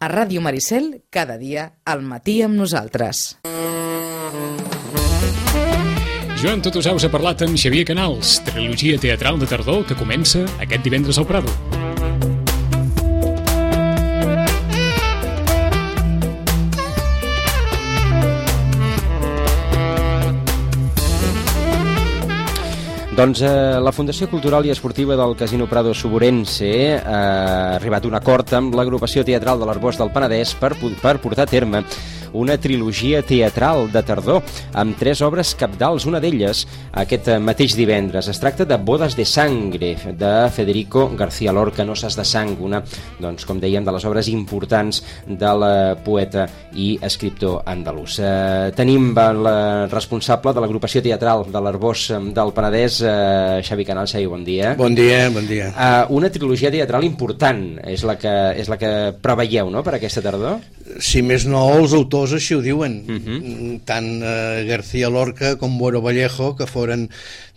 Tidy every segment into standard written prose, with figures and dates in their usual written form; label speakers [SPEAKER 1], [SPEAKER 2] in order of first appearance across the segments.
[SPEAKER 1] A Ràdio Maricel, cada dia al matí amb nosaltres.
[SPEAKER 2] Joan Totosaus ha parlat amb Xavier Canals, trilogia teatral de tardor que comença aquest divendres al Prado.
[SPEAKER 3] Doncs la Fundació Cultural i Esportiva del Casino Prado Suburense ha arribat a un acord amb l'agrupació teatral de l'Arboç del Penedès per portar a terme una trilogia teatral de tardor amb 3 obres cabdals, una d'elles aquest mateix divendres. Es tracta de Bodas de Sangre, de Federico García Lorca, Noces de Sang, una, doncs, com dèiem, de les obres importants del poeta i escriptor andalús. Tenim la responsable de l'agrupació teatral de l'Arboç del Penedès, Xavi Canals. Xavi, bon dia.
[SPEAKER 4] Bon dia, bon dia.
[SPEAKER 3] Una trilogia teatral important és la que preveieu, no?, per aquesta tardor?
[SPEAKER 4] Si més no, els autors així ho diuen. Tant García Lorca com Boero Vallejo, que foren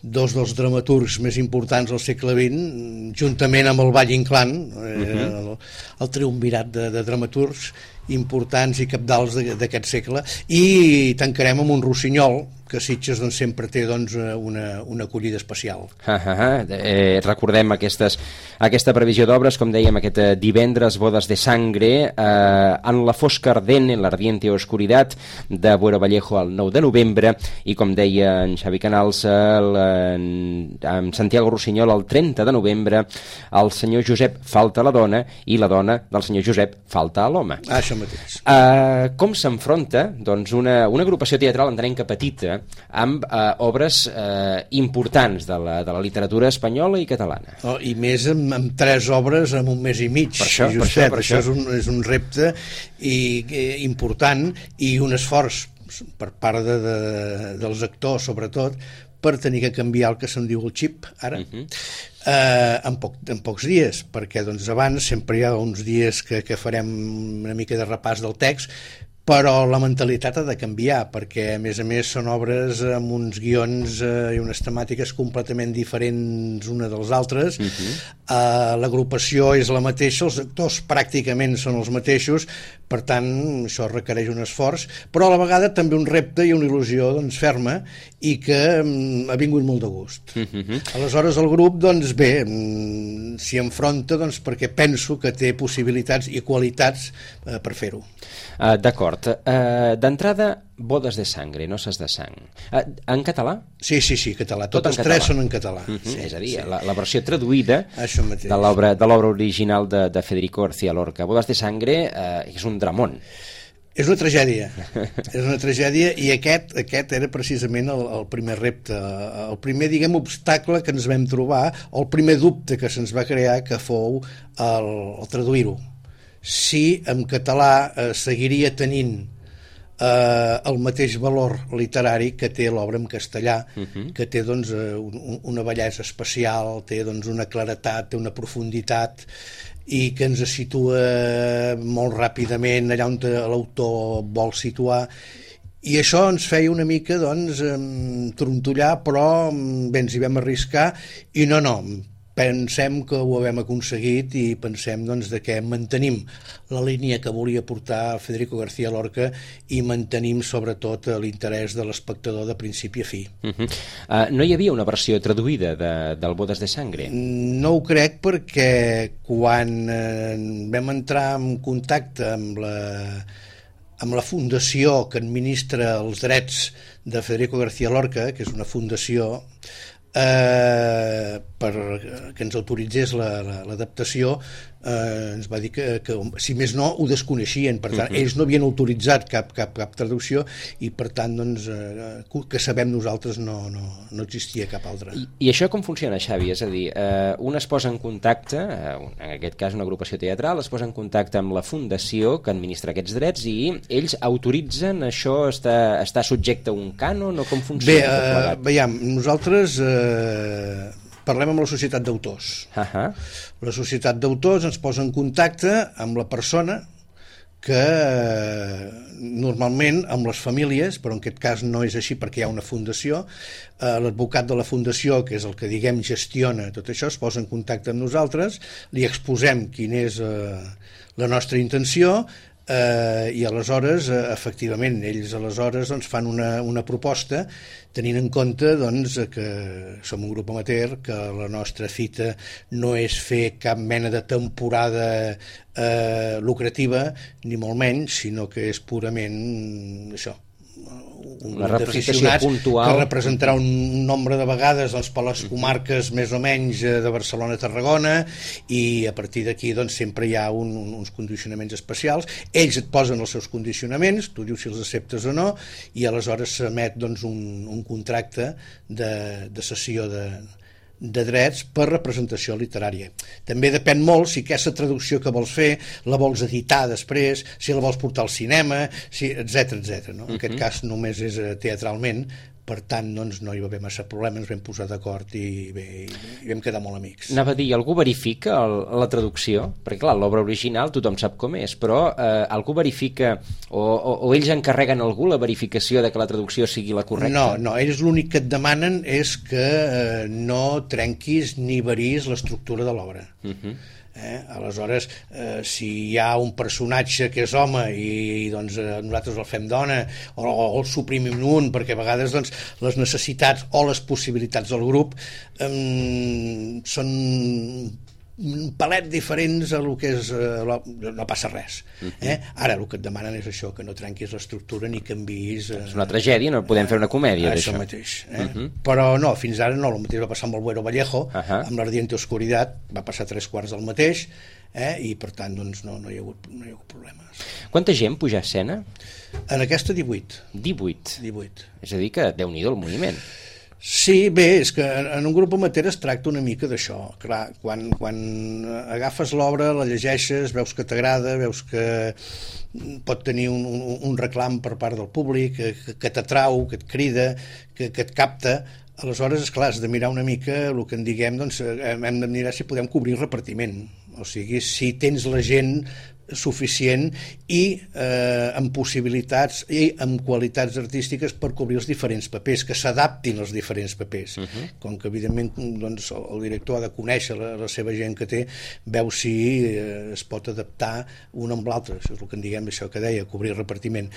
[SPEAKER 4] dos dels dramaturgs més importants del segle XX, juntament amb el Valle Inclán, el triumvirat de dramaturgs importants i cabdals d'aquest segle, i tancarem amb un Rossinyol, que Sitges doncs, sempre té doncs, una acollida especial.
[SPEAKER 3] Recordem aquesta previsió d'obres, com dèiem, aquest divendres, Bodas de Sangre, en la fosca ardent, en l'ardiente oscuridad, de Boero Vallejo el 9 de novembre, i com deia en Xavi Canals, amb Santiago Rossinyol el 30 de novembre, el senyor Josep falta a la dona i la dona del senyor Josep falta a l'home.
[SPEAKER 4] Això mateix.
[SPEAKER 3] Com s'enfronta doncs, una agrupació teatral, entenem que petita, amb obres importants de la literatura espanyola i catalana?
[SPEAKER 4] I més amb 3 obres en un mes i mig.
[SPEAKER 3] Per això.
[SPEAKER 4] És un repte important i un esforç per part dels actors, sobretot, per tenir que canviar el que se'n diu el xip, ara, en pocs dies, perquè doncs, abans sempre hi ha uns dies que farem una mica de repàs del text, però la mentalitat ha de canviar, perquè a més són obres amb uns guions i unes temàtiques completament diferents una dels altres. L'agrupació és la mateixa, els actors pràcticament són els mateixos, per tant això requereix un esforç, però a la vegada també un repte i una il·lusió doncs, ferma, i que ha vingut molt de gust. Aleshores el grup doncs bé, s'hi enfronta doncs, perquè penso que té possibilitats i qualitats per fer-ho.
[SPEAKER 3] D'acord. D'entrada, Bodas de Sangre, Noces de Sang. En català?
[SPEAKER 4] Sí, català. Totes 3 són en català.
[SPEAKER 3] És a dir, la versió traduïda de l'obra original de Federico García Lorca. Bodas de Sangre és un dramón.
[SPEAKER 4] És una tragèdia. És una tragèdia, i aquest era precisament el primer repte, el primer, diguem, obstacle que ens vam trobar, o el primer dubte que se'ns va crear, que fou el traduir-ho. Si en català seguiria tenint el mateix valor literari que té l'obra en castellà, que té doncs, una bellesa especial, té doncs, una claretat, té una profunditat, i que ens situa molt ràpidament allà on l'autor vol situar. I això ens feia una mica doncs, trontollar, però bé, ens hi vam arriscar, i no, pensem que ho hem aconseguit, i pensem doncs, que mantenim la línia que volia portar Federico García Lorca i mantenim sobretot l'interès de l'espectador de principi a fi.
[SPEAKER 3] No hi havia una versió traduïda del Bodas de Sangre?
[SPEAKER 4] No ho crec, perquè quan vam entrar en contacte amb la fundació que administra els drets de Federico García Lorca, que és una fundació que ens autoritzés l'adaptació, ens va dir que si més no ho desconeixien, per tant ells no havien autoritzat cap traducció, i per tant doncs, que sabem nosaltres no existia cap altra.
[SPEAKER 3] I això com funciona, Xavi? És a dir, un es posa en contacte, en aquest cas una agrupació teatral, es posa en contacte amb la fundació que administra aquests drets, i ells autoritzen, això està subjecte a un cànon, o com funciona?
[SPEAKER 4] Bé, veiem, nosaltres parlem amb la societat d'autors. La societat d'autors ens posa en contacte amb la persona que normalment amb les famílies, però en aquest cas no és així perquè hi ha una fundació, l'advocat de la fundació, que és el que diguem gestiona tot això, es posa en contacte amb nosaltres, li exposem quina és la nostra intenció, i aleshores efectivament ells aleshores doncs, fan una proposta tenint en compte doncs, que som un grup amateur, que la nostra fita no és fer cap mena de temporada lucrativa ni molt menys, sinó que és purament això,
[SPEAKER 3] una representació puntual
[SPEAKER 4] que representarà un nombre de vegades doncs, per les comarques més o menys de Barcelona-Tarragona, i a partir d'aquí doncs, sempre hi ha uns condicionaments especials. Ells et posen els seus condicionaments, tu dius si els acceptes o no, i aleshores s'emet doncs, un contracte de cessió de drets per representació literària. També depèn molt si aquesta traducció que vols fer la vols editar després, si la vols portar al cinema, etc. No? En aquest cas només és teatralment, per tant doncs, no hi va haver massa problemes, ens vam posar d'acord i vam quedar molt amics.
[SPEAKER 3] Anava a dir, algú verifica la traducció? Perquè clar, l'obra original tothom sap com és, però algú verifica o ells encarreguen a algú la verificació de que la traducció sigui la correcta?
[SPEAKER 4] No, ells l'únic que et demanen és que no trenquis ni varis l'estructura de l'obra. Aleshores, si hi ha un personatge que és home i doncs, nosaltres el fem dona o el suprimim un, perquè a vegades doncs, les necessitats o les possibilitats del grup són un palet diferents a lo que és no passa res. Ara el que et demanen és això, que no trenquis l'estructura ni canviïs.
[SPEAKER 3] És una tragèdia, no podem fer una comèdia d'això.
[SPEAKER 4] Això mateix. Però no, fins ara no, el mateix va passar amb el Buero Vallejo, amb l'Ardiente Oscuridad, va passar 3/4 del mateix, i per tant doncs, no hi ha hagut problemes.
[SPEAKER 3] Quanta gent puja a escena?
[SPEAKER 4] En aquesta 18.
[SPEAKER 3] 18. És a dir que Déu-n'hi-do el moviment.
[SPEAKER 4] Sí, bé, és que en un grup amateur es tracta una mica d'això. Clar, quan agafes l'obra, la llegeixes, veus que t'agrada, veus que pot tenir un reclam per part del públic, que t'atrau, que et crida, que et capta, aleshores, esclar, has de mirar una mica el que en diguem, doncs hem de mirar si podem cobrir repartiment. O sigui, si tens la gent suficient i amb possibilitats i amb qualitats artístiques per cobrir els diferents papers, que s'adaptin als diferents papers. Com que evidentment doncs, el director ha de conèixer la seva gent que té, veu si es pot adaptar un amb l'altre. Això és el que en diguem, això que deia, cobrir repartiment.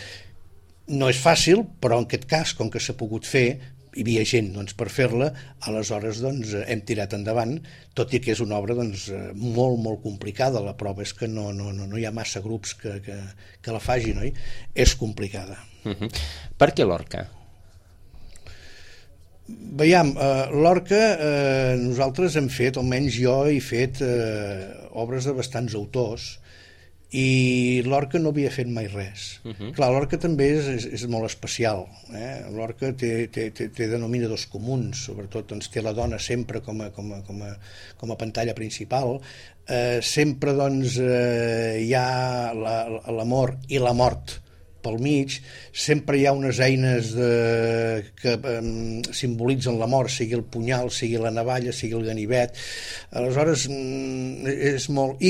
[SPEAKER 4] No és fàcil, però en aquest cas, com que s'ha pogut fer, hi havia gent doncs, per fer-la, aleshores doncs, hem tirat endavant, tot i que és una obra doncs, molt, molt complicada. La prova és que no hi ha massa grups que la facin, oi? És complicada.
[SPEAKER 3] Per què Lorca?
[SPEAKER 4] Veiem, Lorca, nosaltres hem fet, almenys jo he fet obres de bastants autors, i Lorca no havia fet mai res. Clar, Lorca també és molt especial. Lorca té denominadors comuns, sobretot doncs, té la dona sempre com a pantalla principal, sempre doncs, hi ha l'amor i la mort pel mig, sempre hi ha unes eines que simbolitzen la mort, sigui el punyal, sigui la navalla, sigui el ganivet. Aleshores és molt...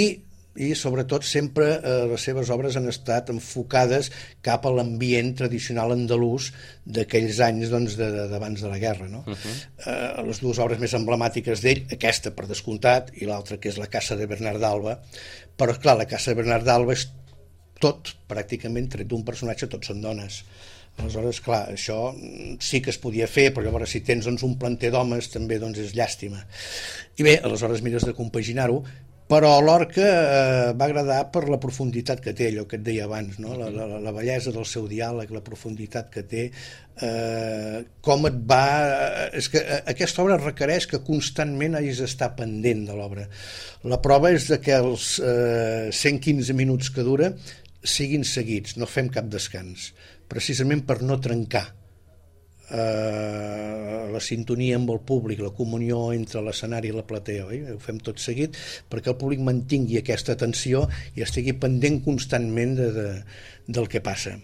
[SPEAKER 4] I sobretot sempre les seves obres han estat enfocades cap a l'ambient tradicional andalús d'aquells anys doncs, d'abans de la guerra. No? Les dues obres més emblemàtiques d'ell, aquesta per descomptat i l'altra que és La Casa de Bernard d'Alba, però clar, La Casa de Bernard d'Alba és tot, pràcticament, tret d'un personatge, tots són dones. Aleshores, clar, això sí que es podia fer, però llavors si tens doncs, un planter d'homes també doncs, és llàstima. I bé, aleshores mires de compaginar-ho, però Lorca va agradar per la profunditat que té, allò que et deia abans, no? La bellesa del seu diàleg, la profunditat que té, com et va... És que aquesta obra requereix que constantment hagis d'estar pendent de l'obra. La prova és que els 115 minuts que dura siguin seguits, no fem cap descans, precisament per no trencar la sintonia amb el públic, la comunió entre l'escenari i la platea, oi? Ho fem tot seguit perquè el públic mantingui aquesta atenció i estigui pendent constantment del que passa.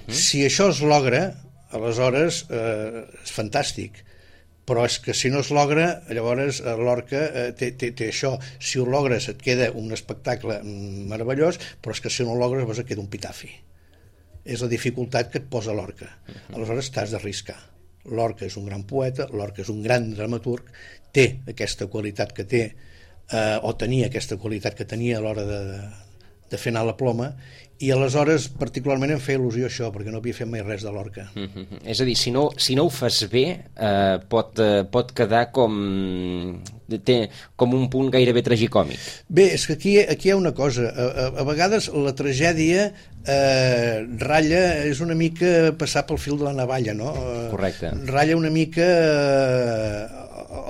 [SPEAKER 4] Si això es logra, aleshores és fantàstic, però és que si no es logra, llavors l'Orca té això, si ho logres et queda un espectacle meravellós, però és que si no ho logres llavors et queda un pitafi. És la dificultat que et posa l'Orca. Aleshores t'has d'arriscar. L'Orca és un gran poeta, l'Orca és un gran dramaturg, té aquesta qualitat que té, o tenia aquesta qualitat que tenia a l'hora de fer anar la ploma, i aleshores particularment em feia il·lusió això, perquè no havia fet mai res de l'Orca.
[SPEAKER 3] És a dir, si no ho fas bé, pot quedar com un punt gairebé tragicòmic.
[SPEAKER 4] Bé, és que aquí hi ha una cosa, a vegades la tragèdia ratlla, és una mica passar pel fil de la navalla, no?
[SPEAKER 3] Correcte.
[SPEAKER 4] Ratlla una mica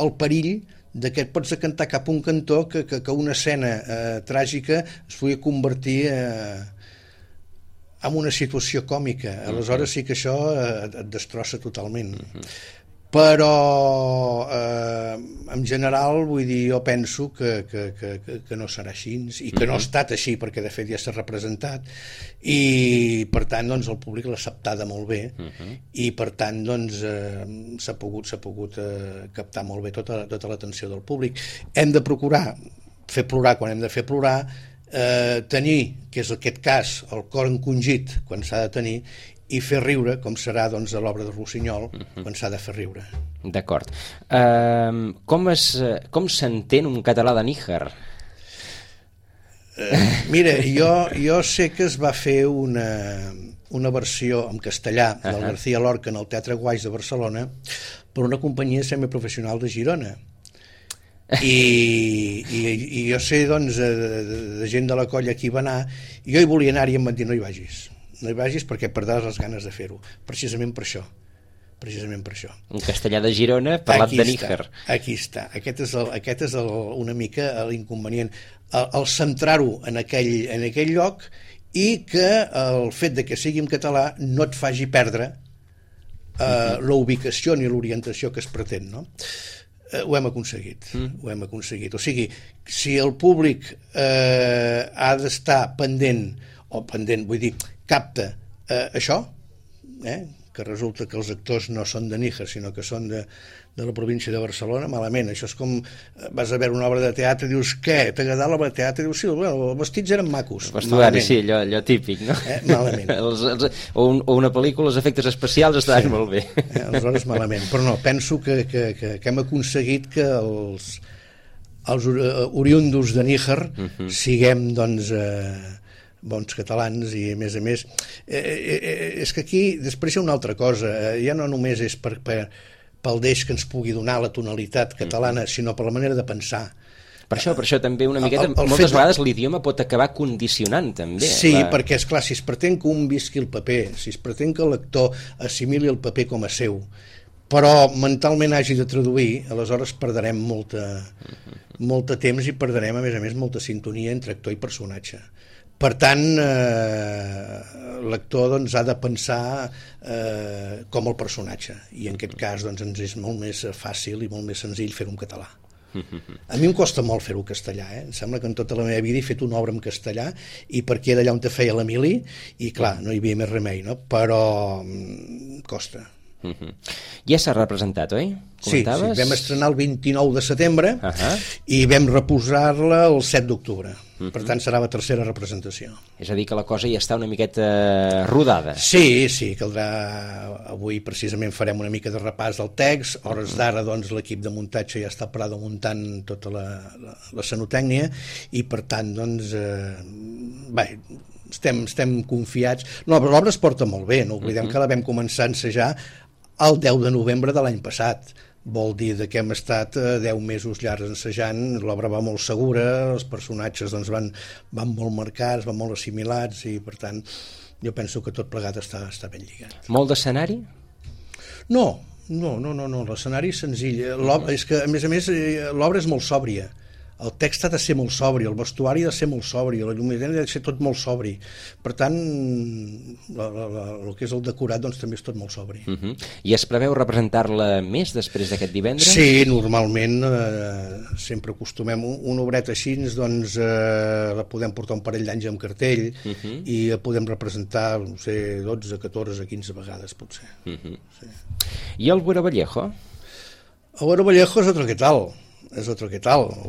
[SPEAKER 4] el perill de que et pots decantar cap a un cantó que una escena tràgica es pugui convertir en una situació còmica. Aleshores sí que això et destrossa totalment. Però en general, vull dir, jo penso que no serà així, i que no ha estat així, perquè de fet ja s'ha representat, i per tant doncs, el públic l'ha acceptada molt bé, i per tant doncs, s'ha pogut captar molt bé tota l'atenció del públic. Hem de procurar fer plorar quan hem de fer plorar, tenir, que és aquest cas, el cor encongit quan s'ha de tenir, i fer riure, com serà doncs, a l'obra de Rossinyol, quan s'ha de fer riure.
[SPEAKER 3] D'acord. Com s'entén un català de Níger?
[SPEAKER 4] Mira, jo sé que es va fer una versió en castellà del García Lorca en el Teatre Guaix de Barcelona per una companyia semiprofessional de Girona. I jo sé doncs de gent de la colla que hi va anar, i jo hi volia anar i em van dir no hi vagis perquè perdràs les ganes de fer-ho, precisament per això.
[SPEAKER 3] Un castellà de Girona parlat de Níger.
[SPEAKER 4] Aquí està, aquest és una mica l'inconvenient, el centrar-ho en aquell lloc, i que el fet de que sigui en català no et faci perdre la ubicació ni l'orientació que es pretén, no? Ho hem aconseguit. O sigui, si el públic ha d'estar pendent, vull dir, capta això, que resulta que els actors no són de Níger, sinó que són de la província de Barcelona, malament. Això és com vas a veure una obra de teatre i dius, què, t'ha agradat l'obra de teatre? I dius, sí, bueno, els vestits eren macos.
[SPEAKER 3] El vestuari, sí, allò típic, no?
[SPEAKER 4] Malament.
[SPEAKER 3] O una pel·lícula, els efectes especials estaven molt bé.
[SPEAKER 4] Aleshores, malament. Però no, penso que hem aconseguit que els oriundos de Níger siguem, doncs, bons catalans, i a més és que aquí després hi ha una altra cosa, ja no només és pel deix que ens pugui donar la tonalitat catalana, sinó per la manera de pensar.
[SPEAKER 3] Per això també una miqueta, moltes vegades l'idioma pot acabar condicionant també.
[SPEAKER 4] Sí, perquè esclar, si es pretén que un visqui el paper, si es pretén que el lector assimili el paper com a seu, però mentalment hagi de traduir, aleshores perdrem molt temps i perdrem a més molta sintonia entre actor i personatge. Per tant, l'actor doncs, ha de pensar com el personatge, i en aquest cas doncs, ens és molt més fàcil i molt més senzill fer-ho en català. A mi em costa molt fer-ho en castellà, Em sembla que en tota la meva vida he fet una obra en castellà, i perquè era allà on te feia l'Emili, i clar, no hi havia més remei, no? Però costa.
[SPEAKER 3] Ja s'ha representat, oi?
[SPEAKER 4] Sí, vam estrenar el 29 de setembre i vam reposar-la el 7 d'octubre. Per tant, serà la tercera representació.
[SPEAKER 3] És a dir, que la cosa ja està una miqueta rodada. Sí,
[SPEAKER 4] caldrà. Avui precisament farem una mica de repàs del text. Hores d'ara, doncs, l'equip de muntatge ja està parada muntant tota la scenotècnia, i per tant, doncs, estem confiats. No, però l'obra es porta molt bé, no oblidem que la vam començar a ensejar el 10 de novembre de l'any passat. Vol dir que hem estat 10 mesos llargs ensejant, l'obra va molt segura, els personatges doncs, van molt marcats, van molt assimilats, i per tant jo penso que tot plegat està ben lligat.
[SPEAKER 3] Molt d'escenari?
[SPEAKER 4] No, l'escenari és senzill. És que a més l'obra és molt sòbria. El text ha de ser molt sobri, el vestuari ha de ser molt sobri, la lluminosia ha de ser tot molt sobri. Per tant, el que és el decorat doncs, també és tot molt sobri.
[SPEAKER 3] I es preveu representar-la més després d'aquest divendres?
[SPEAKER 4] Sí, normalment sempre acostumem. Una obreta així, doncs, la podem portar un parell d'anys amb cartell, i la podem representar, no sé, 12, 14, 15 vegades, potser.
[SPEAKER 3] I el Buera Vallejo?
[SPEAKER 4] El Buero Vallejo es otro que tal. El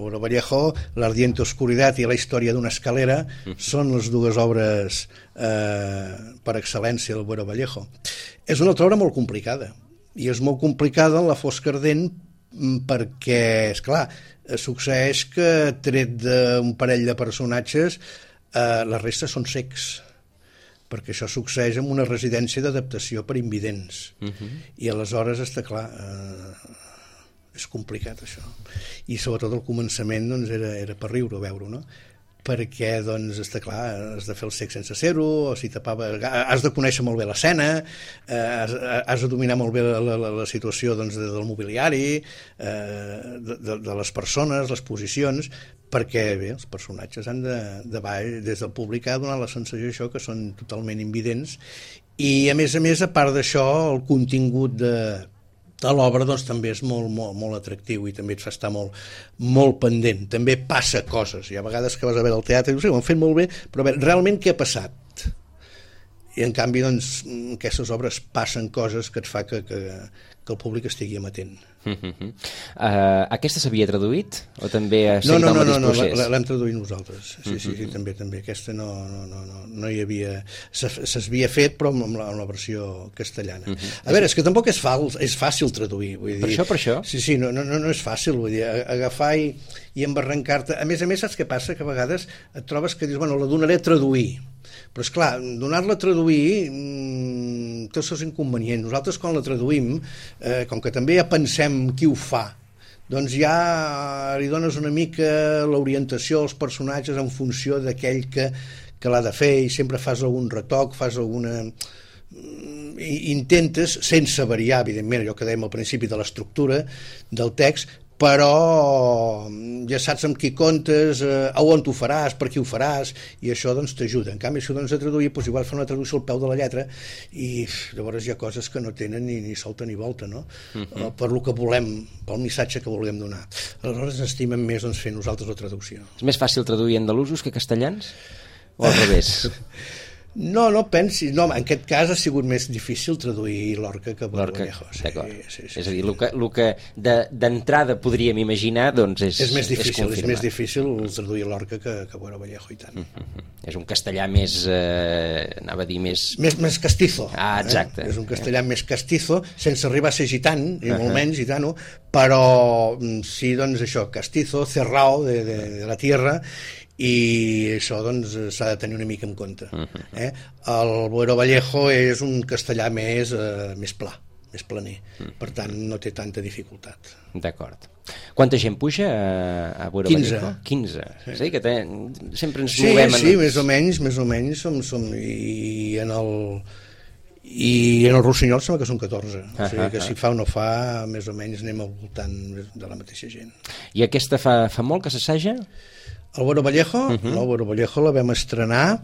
[SPEAKER 4] Buero Vallejo, l'Ardiente Oscuridad i la història d'una escalera són les dues obres per excel·lència del Buero Vallejo. És una altra obra molt complicada, i és molt complicada en la Fosca Ardent perquè, esclar, succeeix que tret d'un parell de personatges la resta són cecs, perquè això succeeix en una residència d'adaptació per invidents, i aleshores està clar, és complicat això, i sobretot al començament doncs, era per riure veure-ho, no? Perquè doncs, està clar, has de fer el cec sense ser-ho, o si tapava, has de conèixer molt bé l'escena, has de dominar molt bé la situació doncs, del mobiliari, de les persones, les posicions, perquè bé, els personatges han de baix, des del públic ha donat la sensació això que són totalment invidents, i a més, a part d'això, el contingut de l'obra doncs, també és molt atractiu i també et fa estar molt pendent. També passa coses. Hi ha vegades que vas a veure el teatre i dius, sí, ho han fet molt bé, però a veure, realment què ha passat? I en canvi, doncs, en aquestes obres passen coses que et fa que el públic estigui amatent.
[SPEAKER 3] Aquesta s'havia traduït? O també ha seguit el mateix procés?
[SPEAKER 4] No, l'hem traduït nosaltres. Sí, també. Aquesta no hi havia... S'havia fet, però amb la versió castellana. A veure, és que tampoc és fàcil traduir. Vull dir,
[SPEAKER 3] per això?
[SPEAKER 4] Sí, no és fàcil, vull dir, agafar i embarrancar-te. A més, saps què passa? Que a vegades et trobes que dius, bueno, la donaré a traduir. Però, esclar, donar-la a traduir té els seus inconvenients. Nosaltres, quan la traduïm, com que també ja pensem qui ho fa, doncs ja li dones una mica l'orientació als personatges en funció d'aquell que l'ha de fer, i sempre fas algun retoc, fas alguna... Intentes, sense variar, evidentment, allò que dèiem al principi de l'estructura del text, però ja saps amb qui comptes, a on t'ho faràs, per qui ho faràs, i això doncs t'ajuda. En canvi, si ho dones a traduir, doncs igual fa una traducció al peu de la lletra i llavors hi ha coses que no tenen ni solta ni volta, no? Per lo que volem, pel missatge que volem donar. Aleshores ens estimem més doncs, fer nosaltres la traducció.
[SPEAKER 3] És més fàcil traduir andalusos que castellans? O al revés?
[SPEAKER 4] No pensis. No, en aquest cas ha sigut més difícil traduir Lorca que Buero Vallejo. Sí.
[SPEAKER 3] És a dir, el que d'entrada podríem imaginar doncs és
[SPEAKER 4] més difícil traduir Lorca que Buero Vallejo, i tant.
[SPEAKER 3] És un castellà més, anava a dir més...
[SPEAKER 4] Més castizo.
[SPEAKER 3] Exacte.
[SPEAKER 4] És un castellà més castizo, sense arribar a ser gitant, ni molt menys gitano, però sí, doncs això, castizo, cerrao de la tierra, i això doncs s'ha de tenir una mica en compte. El Buero Vallejo és un castellà més pla, més planer, per tant no té tanta dificultat.
[SPEAKER 3] D'acord. Quanta gent puja a Buero Vallejo? 15. Sí. És a dir, que sempre ens movem...
[SPEAKER 4] Sí, més o menys som i en el Rossinyol sembla que són 14, o sigui que si fa o no fa, més o menys anem al voltant de la mateixa gent.
[SPEAKER 3] I aquesta fa molt que s'assaja?
[SPEAKER 4] El Buero Vallejo? No, el Buero Vallejo la vam estrenar,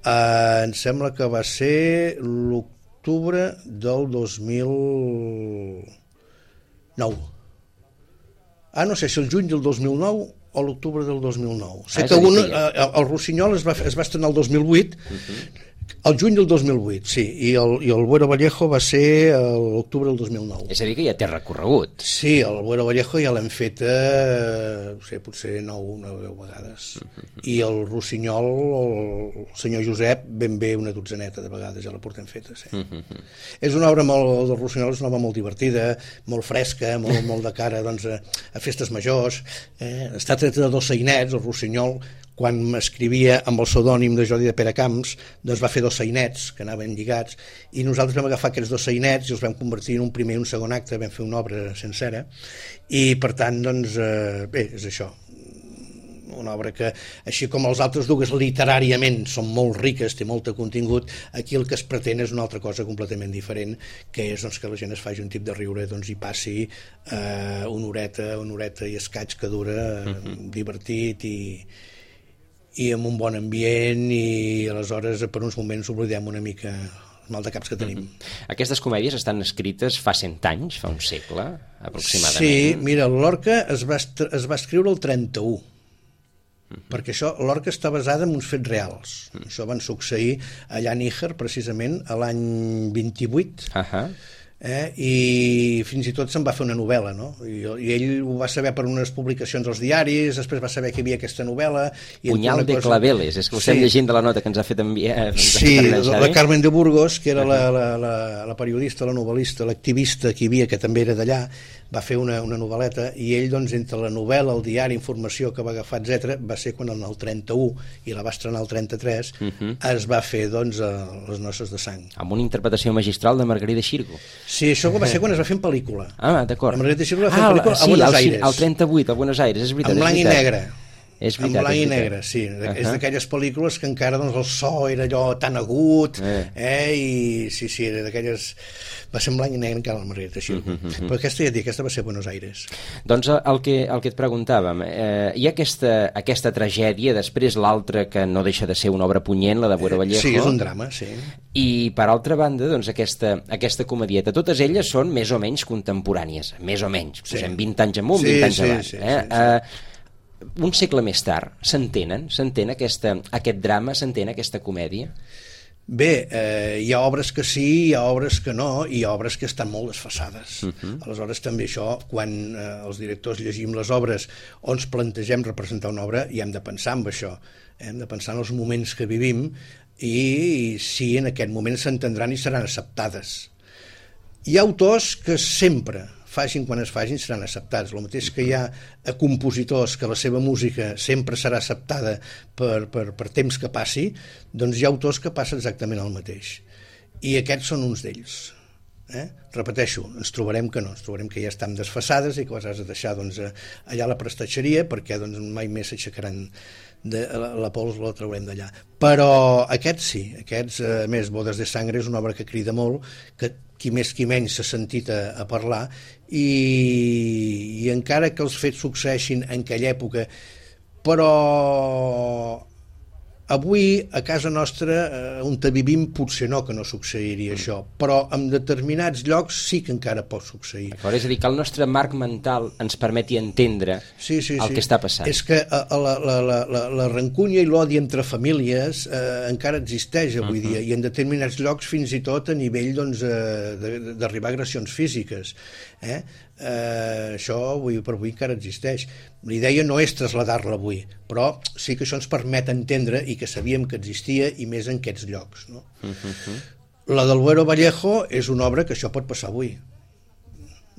[SPEAKER 4] em sembla que va ser l'octubre del 2009. No sé si el juny del 2009 o l'octubre del 2009. Sé que el Rossinyol es va estrenar el 2008, el juny del 2008, sí, i el Buero Vallejo va ser l'octubre del 2009.
[SPEAKER 3] És a dir, que ja té recorregut.
[SPEAKER 4] Sí, el Buero Vallejo ja l'hem fet potser 9 o 10 vegades. I el Rossinyol, el senyor Josep, ben bé una dotzeneta de vegades ja la portem feta, sí. És una obra del Rossinyol, és una obra molt divertida, molt fresca, molt de cara doncs, a festes majors. Està treta de 2 sainets, el Rossinyol, quan m'escrivia amb el pseudònim de Jordi de Peracamps, doncs va fer 2 sainets que anaven lligats, i nosaltres vam agafar aquests 2 sainets i els vam convertir en un primer i un segon acte, vam fer una obra sencera, i per tant, doncs, bé, és això. Una obra que, així com els altres dues literàriament són molt riques, té molt de contingut, aquí el que es pretén és una altra cosa completament diferent, que és doncs, que la gent es faci un tip de riure, doncs hi passi una horeta i escaig que dura, divertit i amb un bon ambient, i aleshores per uns moments oblidem una mica el mal de caps que tenim.
[SPEAKER 3] Aquestes comèdies estan escrites fa 100 anys, fa un segle, aproximadament.
[SPEAKER 4] Sí, mira, Lorca es va escriure el 31, perquè això, Lorca està basada en uns fets reals. Això van succeir allà a Níger, precisament, a l'any 28, I fins i tot se'n va fer una novel·la, no? I ell ho va saber per unes publicacions als diaris, després va saber que hi havia aquesta novel·la.
[SPEAKER 3] Punyal de Claveles, és que ho estem llegint de la nota que ens ha fet enviar.
[SPEAKER 4] Sí, la Carmen de Burgos, que era la periodista, la novel·lista, l'activista que hi havia, que també era d'allà, va fer una novel·leta, i ell, doncs, entre la novel·la, el diari, informació que va agafar, etc., va ser quan en el 31, i la va estrenar el 33, es va fer, doncs, Les noces de sang.
[SPEAKER 3] Amb una interpretació magistral de Margarida Xirgo.
[SPEAKER 4] Sí, això va ser quan es va fer en pel·lícula.
[SPEAKER 3] Ah, d'acord.
[SPEAKER 4] La Margarida Xirgo va fer en pel·lícula a Buenos Aires.
[SPEAKER 3] Al 38, a Buenos Aires, és veritat.
[SPEAKER 4] En blanc i negre.
[SPEAKER 3] És veritat,
[SPEAKER 4] en blanc i negre, sí. És d'aquelles pel·lícules que encara, doncs, el so era allò tan agut, i sí, era d'aquelles... Va ser en blanc i negre encara la Margarida Xirgo. Però aquesta va ser a Buenos Aires.
[SPEAKER 3] Doncs el que et preguntàvem, hi ha aquesta tragèdia, després l'altra que no deixa de ser una obra punyent, la de Buero Vallejo.
[SPEAKER 4] Sí, és un drama, sí.
[SPEAKER 3] I per altra banda, doncs, aquesta comedieta, totes elles són més o menys contemporànies, més o menys, posem 20 anys amunt, 20 anys avall. Sí. Un segle més tard, s'entén aquest drama, s'entén aquesta comèdia?
[SPEAKER 4] Bé, hi ha obres que sí, hi ha obres que no, i hi ha obres que estan molt desfasades. Aleshores, també això, quan els directors llegim les obres o ens plantegem representar una obra, hi hem de pensar en això. Hem de pensar en els moments que vivim i si en aquest moment s'entendran i seran acceptades. Hi ha autors que sempre... facin quan es facin, seran acceptats. El mateix que hi ha compositors que la seva música sempre serà acceptada per temps que passi, doncs hi ha autors que passa exactament el mateix. I aquests són uns d'ells. Repeteixo, ens trobarem que no, ens trobarem que ja estan desfasades i que les has de deixar, doncs, allà a la prestatgeria, perquè, doncs, mai més s'aixecaran la pols, la traurem d'allà. Però aquests sí, a més, Bodes de Sangre és una obra que crida molt, que qui més qui menys s'ha sentit a parlar, i encara que els fets succeeixin en aquella època, però avui a casa nostra on vivim potser no, que no succeiria això, però en determinats llocs sí que encara pot succeir.
[SPEAKER 3] És a dir, que el nostre marc mental ens permeti entendre el que està passant.
[SPEAKER 4] És que la rancúnia i l'odi entre famílies encara existeix avui dia, i en determinats llocs fins i tot a nivell, doncs, d'arribar a agressions físiques. Això avui per avui encara existeix. La idea no és traslladar-la avui, però sí que això ens permet entendre i que sabíem que existia, i més en aquests llocs, no? La del Buero Vallejo és una obra que això pot passar avui.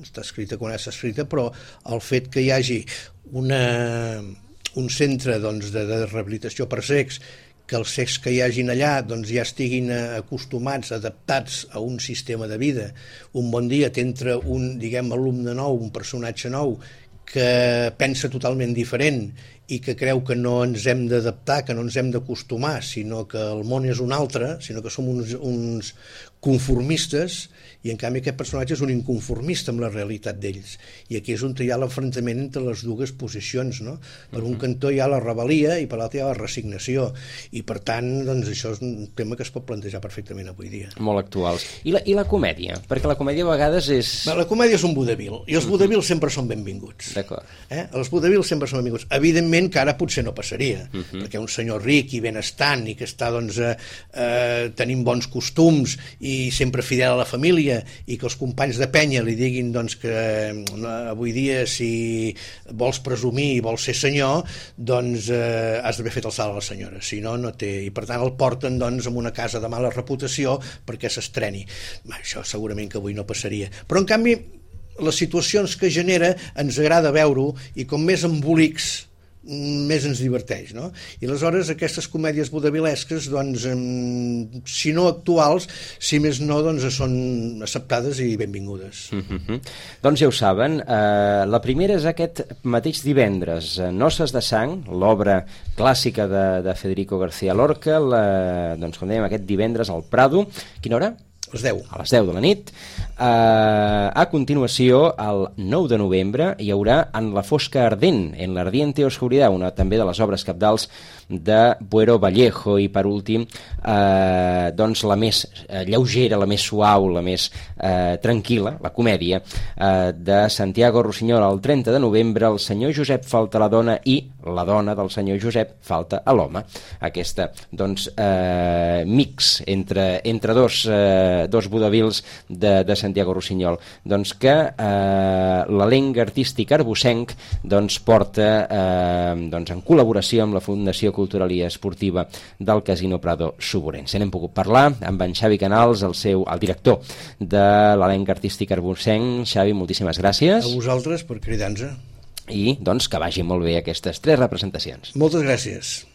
[SPEAKER 4] Està escrita quan és escrita, però el fet que hi hagi un centre, doncs, de rehabilitació per cecs, que els cecs que hi hagin allà, doncs, ja estiguin acostumats, adaptats a un sistema de vida. Un bon dia t'entra un, diguem, alumne nou, un personatge nou, que pensa totalment diferent i que creu que no ens hem d'adaptar, que no ens hem d'acostumar, sinó que el món és un altre, sinó que som uns conformistes, i en canvi aquest personatge és un inconformista amb la realitat d'ells. I aquí és on hi ha l'enfrontament entre les dues posicions, no? Per un cantó hi ha la rebel·lia i per l'altre hi ha la resignació, i per tant, doncs, això és un tema que es pot plantejar perfectament avui dia.
[SPEAKER 3] Molt actuals. I la comèdia? Perquè la comèdia a vegades és...
[SPEAKER 4] La comèdia és un vodevil, i els vodevils sempre són benvinguts.
[SPEAKER 3] D'acord.
[SPEAKER 4] Els vodevils sempre són benvinguts. Evidentment que ara potser no passaria, perquè un senyor ric i benestant i que està, doncs, tenint bons costums i sempre fidel a la família, i que els companys de penya li diguin, doncs, que avui dia si vols presumir i vols ser senyor, doncs has d'haver fet el salt a la senyora, si no, no té, i per tant el porten, doncs, en una casa de mala reputació perquè s'estreni. Això segurament que avui no passaria, però en canvi les situacions que genera ens agrada veure-ho, i com més embolics més ens diverteix, no? I aleshores aquestes comèdies vodevilesques, doncs, si no actuals, si més no, doncs són acceptades i benvingudes.
[SPEAKER 3] Doncs ja ho saben, la primera és aquest mateix divendres, Noces de sang, l'obra clàssica de Federico García Lorca, doncs, com dèiem, aquest divendres al Prado. Quina hora?
[SPEAKER 4] A les 10.
[SPEAKER 3] A les 10 de la nit. A continuació, el 9 de novembre, hi haurà En la fosca ardent, en l'ardiente oscuridad, una també de les obres cabdals de Buero Vallejo, i per últim doncs la més lleugera, la més suau, la més tranquil·la, la comèdia de Santiago Rusiñol. El 30 de novembre el senyor Josep falta a la dona i la dona del senyor Josep falta a l'home. Aquesta doncs mix entre dos vodevils de Santiago Rusiñol, doncs que l'elenc artístic arbocenc doncs porta doncs en col·laboració amb la Fundació Cultural i Esportiva del Casino Prado Suburense. N'hem pogut parlar amb en Xavi Canals, el director de l'elenc artístic arbocenc. Xavi, moltíssimes gràcies.
[SPEAKER 4] A vosaltres per cridar-nos.
[SPEAKER 3] I doncs que vagi molt bé aquestes 3 representacions.
[SPEAKER 4] Moltes gràcies.